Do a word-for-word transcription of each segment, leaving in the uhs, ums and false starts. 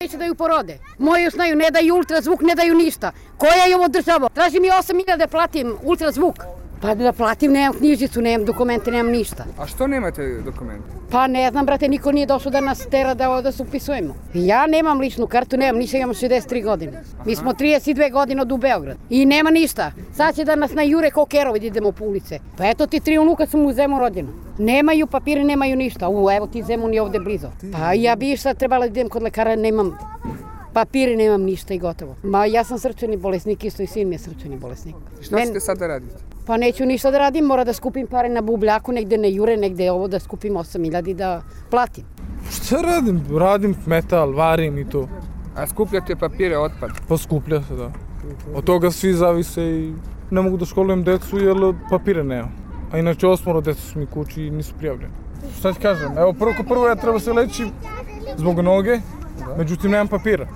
neće da ju porode. Moji još znaju, ne daju ultrazvuk, ne daju ništa. Koja je ovo država? Traži mi osam hiljada da platim ultrazvuk. Pa da platim, nemam knjižicu, nemam dokumente, nemam ništa. A što nemate dokumente? Pa ne znam, brate, niko nije došao da nas tera da, da se upisujemo. Ja nemam ličnu kartu, nemam ništa, imam šezdeset tri godine. Mi smo trideset dve godine od u Beograd. I nema ništa. Sad će da nas najure ko kerovi da idemo po ulice. Pa eto ti tri unuka su mu u Zemun rođena. Nemaju papire, nemaju ništa. U, evo ti Zemun je ovde blizu. Pa ja bi sad trebala da idem kod lekara, nemam papire, nemam ništa i gotovo. Ma ja sam srčani bolesnik, isto i sin mi je srčani bolesnik. Šta Men... ćete sad da radite? Pa neću ništa da radim, mora da skupim pare na bubljaku, negde ne jure, negde ovo da skupim osam hiljada i da platim. Šta radim? Radim metal, varim i to. A skupljate papire, otpad? Pa skuplja se, da. Od toga svi zavise i ne mogu da školujem decu jer papire nema. A inače osmoro deca su mi kući i nisu prijavljeni. Šta ti kažem? Evo prvo ko prvo ja treba se leći zbog noge, međutim nemam papira.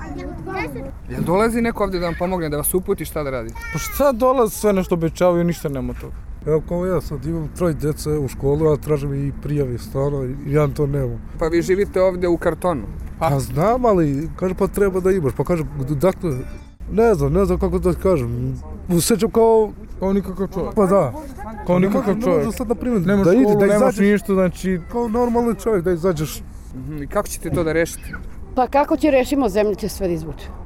Jel dolazi neko ovdje da vam pomogne, da vas uputi šta da radite? Pa šta dolazi, sve nešto obećavaju, ništa nema toga. Evo kao ja sad imam troj djece u školu, a tražim i prijave stano i ja to nemam. Pa vi živite ovdje u kartonu? Pa, pa znam, ali kaže pa treba da imaš, pa kaže dakle, ne znam, ne znam kako da kažem. Osjećam kao... Kao nikakav čovjek. Pa da. Kao nikakav čovjek. Da sad na primjer, nemaš da ide, školu, da nemaš izađeš, ništa, znači... Kao normalni čovjek da izađeš. I kako ćete to da rešite? Pa kako će rešimo, zemlja će sve da izvuče.